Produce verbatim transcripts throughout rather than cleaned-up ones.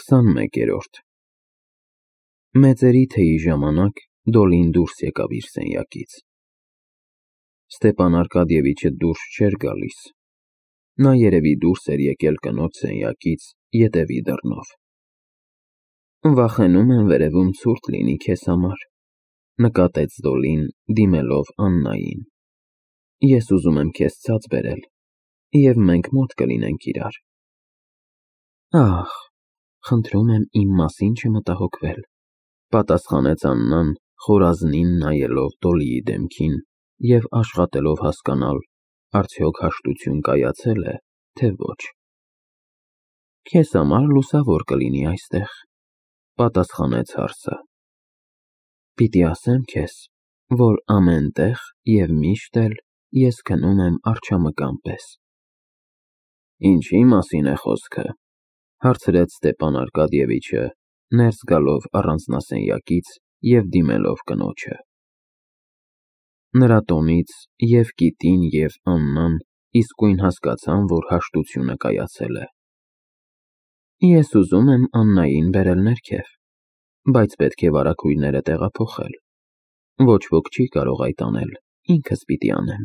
քսանմեկերորդ Մեծերի թեյի ժամանակ Դոլին դուրս եկավ իր սենյակից։ Ստեպան Արկադիևիչը դուրս չէր գալիս։ Նա երևի դուրս էր եկել կնոջ սենյակից ետևի դռնով։ Վախենում եմ վերևում ցուրտ լինի քեզ համար, նկատեց Դոլին, դիմելով Աննային։ Ես ուզում եմ քեզ ցած բերել, և մենք մոտ կլինենք իրար։ Ահ, խնդրում եմ իմ մասին չմտահոգվել, պատասխանեց Աննան, խորազնին նայելով Դոլիի դեմքին և աշխատելով հասկանալ, արդյոք հաշտություն կայացել է, թե ոչ։ Քեզ համար լուսավոր կլինի այստեղ, պատասխանեց հարսը։ Պիտի ասեմ քեզ, որ ամեն տեղ և միշտ էլ ես քնում եմ արջամկան պես։ Ինչի՞ մասին է խոսքը, հարցրեց Ստեպան Արկադիևիչը, ներս գալով առանձնասենյակից և դիմելով կնոջը։ Նրա տոնից և Կիտին, և Աննան իսկույն հասկացան, որ հաշտությունը կայացել է։ Ես ուզում եմ Աննային բերել ներքև, բայց պետք է վարագույրները տեղափոխել։ Ոչ ոք չի կարող այդ անել, ինքս պիտի անեմ,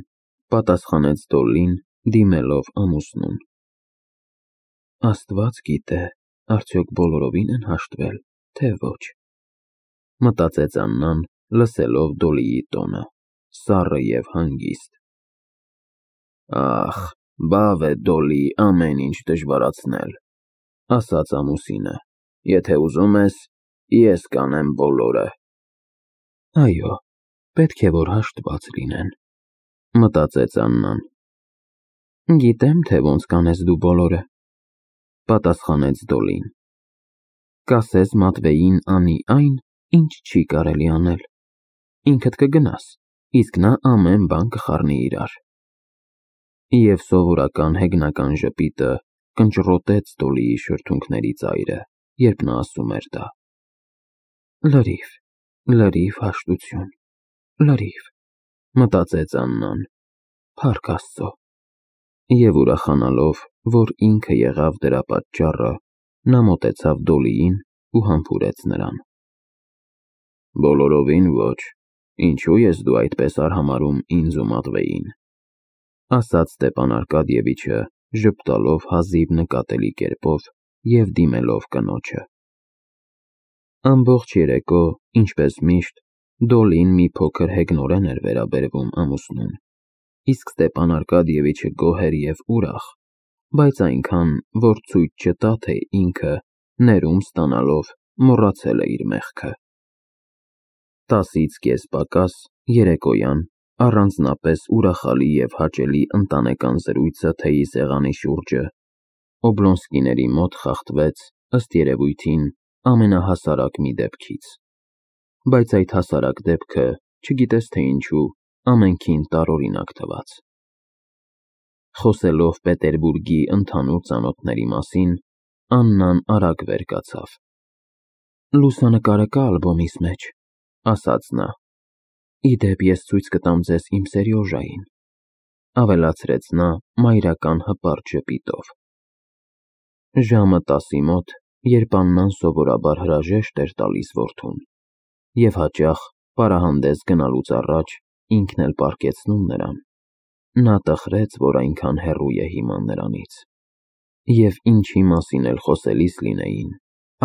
պատասխանեց Դոլին, դիմելով ամուսնուն։ Աստված գիտե, արդյոք բոլորովին են հաշտվել, թե ոչ, մտածեց Աննան, լսելով Դոլիի տոնը, սառը և հանգիստ։ Ախ, բավ է Դոլի ամեն ինչ դժվարացնել, ասաց ամուսինը, եթե ուզում ես, ես կանեմ բոլորը։ Այո, պետք է որ հաշտված լինեն, մտածեց Աննան։ Գիտեմ, թե ոնց կանես դու բոլորը, պատասխանեց Դոլին։ Կասես Մատվեյին անի այն, ինչ չի կարելի անել, ինքդ կգնաս, իսկ նա ամեն բան կխառնի իրար։ Եվ սովորական հեգնական ժպիտը կնճռոտեց Դոլիի շրթունքների ծայրը, երբ նա ասում էր դա։ Լրիվ, լրիվ հաշտություն, լրիվ, մտածեց Աննան, փառք Աստծո։ Եվ ուրախանալով, որ ինքը եղավ դրա պատճառը, նա մոտեցավ Դոլիին ու համբուրեց նրան։ Բոլորովին ոչ, ինչու ես դու այդպես արհամարհում ինձ ու Մատվեյին, ասաց Ստեպան Արկադիևիչը, ժպտալով հազիվ նկատելի կերպով և դիմելով կնոջը։ Ամբողջ երեկո, ինչպես միշտ, Դոլին մի փոքր հեգնորեն էր վերաբերվում ամուսնուն, իսկ Ստեպան Արկադիևիչը գոհ էր և ուրախ, բայց այնքան, որ ցույց չտա, թե ինքը, ներում ստանալով, մոռացել է իր մեղքը։ Տասից կես պակաս, երեկոյան, առանձնապես ուրախալի և հաճելի ընտանեկան զրույցը թեյի սեղանի շուրջը Օբլոնսկիների մոտ խախտվեց, ըստ երևույթին, ամենահասարակ մի դեպքից, բայց այդ հասարակ դեպքը, չգիտես թե ինչու, ամենքին տարօրինակ թվաց։ Խոսելով Պետերբուրգի ընդհանուր ծանոթների մասին, Աննան արագ վեր կացավ։ Լուսանկարը կա ալբոմիս մեջ, ասաց նա։ Ի դեպ, ես ցույց կտամ ձեզ իմ Սերյոժային, ավելացրեց նա մայրական հպարտ ժպիտով։ Ժամը տասի մոտ, երբ Աննան սովորաբար հրաժեշտ էր տալիս որդուն, և հաճախ, պարահանդես գնալուց առաջ, ինքն էլ պառկեցնում նրան, նա տխրեց, որ այնքան հեռու է հիմա նրանից, և ինչի մասին էլ խոսելիս լինեին,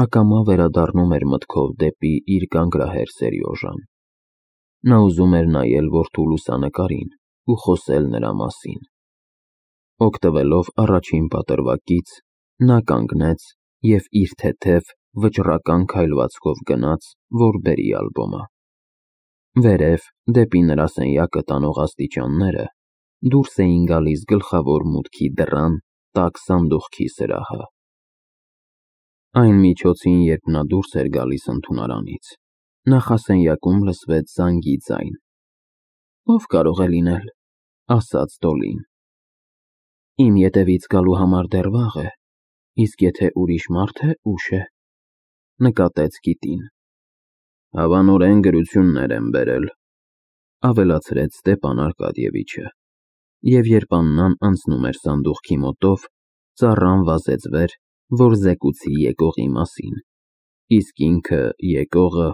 ակամա վերադառնում էր մտքով դեպի իր կանգրահեր Սերյոժան։ Նա ուզում էր նայել որդու լուսանկարին ու խոսել նրա մասին։ Օգտվելով առաջին պատրվակից, նա կանգնեց և իր թեթև, վճռական քայլվածքով գնաց, որ բերի ալբոմը։ Վերև, դեպի նրա սենյակը տանող աստիճանները, դուրս էին գալիս գլխավոր մուտքի դռան տաք սանդուղքի սրահը։ Այն միջոցին, երբ նա դուրս էր գալիս ընդունարանից, նախասենյակում լսվեց զանգի ձայն։ Ո՞վ կարող է լինել, ասաց Դոլին։ Իմ ետևից գալու համար դեռ վաղ է, իսկ եթե ուրիշ մարդ է, ուշ է, նկատեց Կիտին։ Հավանորեն գրություններ են բերել, ավելացրեց Ստեպան Արկադիևիչը, և երբ Աննան անցնում էր սանդուղքի մոտով, ծառան վազեց վեր որ զեկուցի եկողի մասին, իսկ ինքը եկողը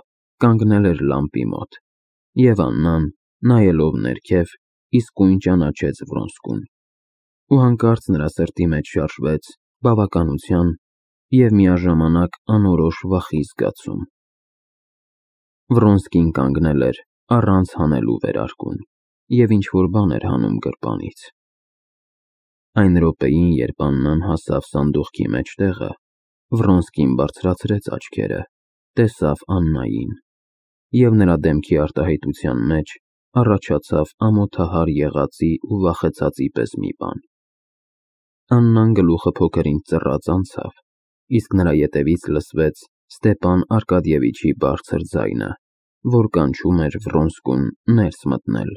կանգնել էր լամպի մոտ, և Աննան, նայելով ներքև, իսկույն ճանաչեց Վրոնսկուն, ու հանկարծ նրա սրտի մեջ շարժվեց բավականության և միաժամանակ անորոշ վախի զգացում։ Վրոնսկին կանգնել էր առանց հանելու վերարկուն և ինչ-որ բան էր հանում գրպանից։ Այն րոպեին, երբ Աննան հասավ սանդուղքի մեջտեղը, Վրոնսկին բարձրացրեց աչքերը, տեսավ Աննային, և նրա դեմքի արտահայտության մեջ առաջացավ ամոթահար եղածի ու վախեցածի պես մի բան։ Աննան գլուխը փոքր-ինչ ծռած անցավ, իսկ նրա ետևից լսվեց Ստեպան Արկադիևիչի բարձր ձայնը, որ կանչում էր Վրոնսկուն ներս մտնել,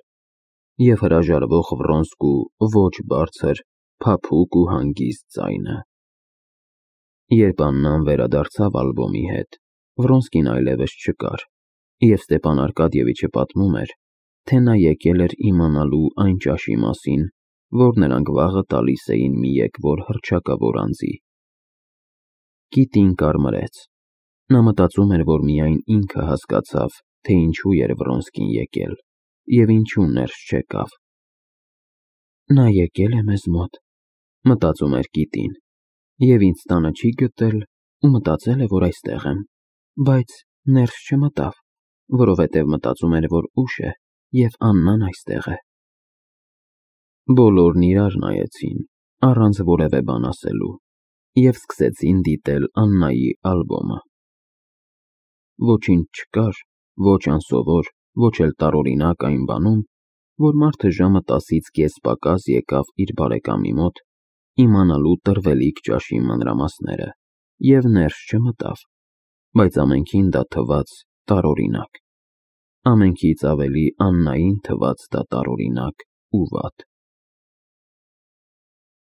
և հրաժարվող Վրոնսկու ոչ բարձր, փափուկ ու հանգիստ ձայնը։ Երբ Աննան վերադարձավ ալբոմի հետ, Վրոնսկին այլևս չկար, և Ստեպան Արկադիևիչը պատմում էր, թե նա եկել էր իմանալու այն ճաշի մասին, որ նրանք վաղը տալիս էին մի եկվոր հռչակավոր անձի։ Կիտին կարմրեց։ Նա մտածում էր, որ միայն ինքը հասկացավ, թե ինչու էր Վրոնսկին եկել և ինչու ներս չեկավ։ Նա եկել է մեզ մոտ, մտածում էր կիտին, և ինձ տանը չի գտել ու մտածել է, որ այստեղ եմ, բայց ներս չմտավ, որովհետև մտածում էր, որ ուշ է և Աննան այստեղ է։ Բոլորն իրար նայեցին, առանց որևէ բան ասելու, և սկսեցին դիտել Աննայի ալբոմը։ Ոչինչ չկար, ոչ անսովոր, ոչ էլ տարօրինակ այն բանում, որ մարդը ժամը տասից կես պակաս եկավ իր բարեկամի մոտ, իմանալու տրվելիք ճաշի մանրամասները, և ներս չմտավ, բայց ամենքին դա թվաց տարօրինակ։ Ամենքից ավելի Աննային թվաց դա տարօրինակ ու վատ։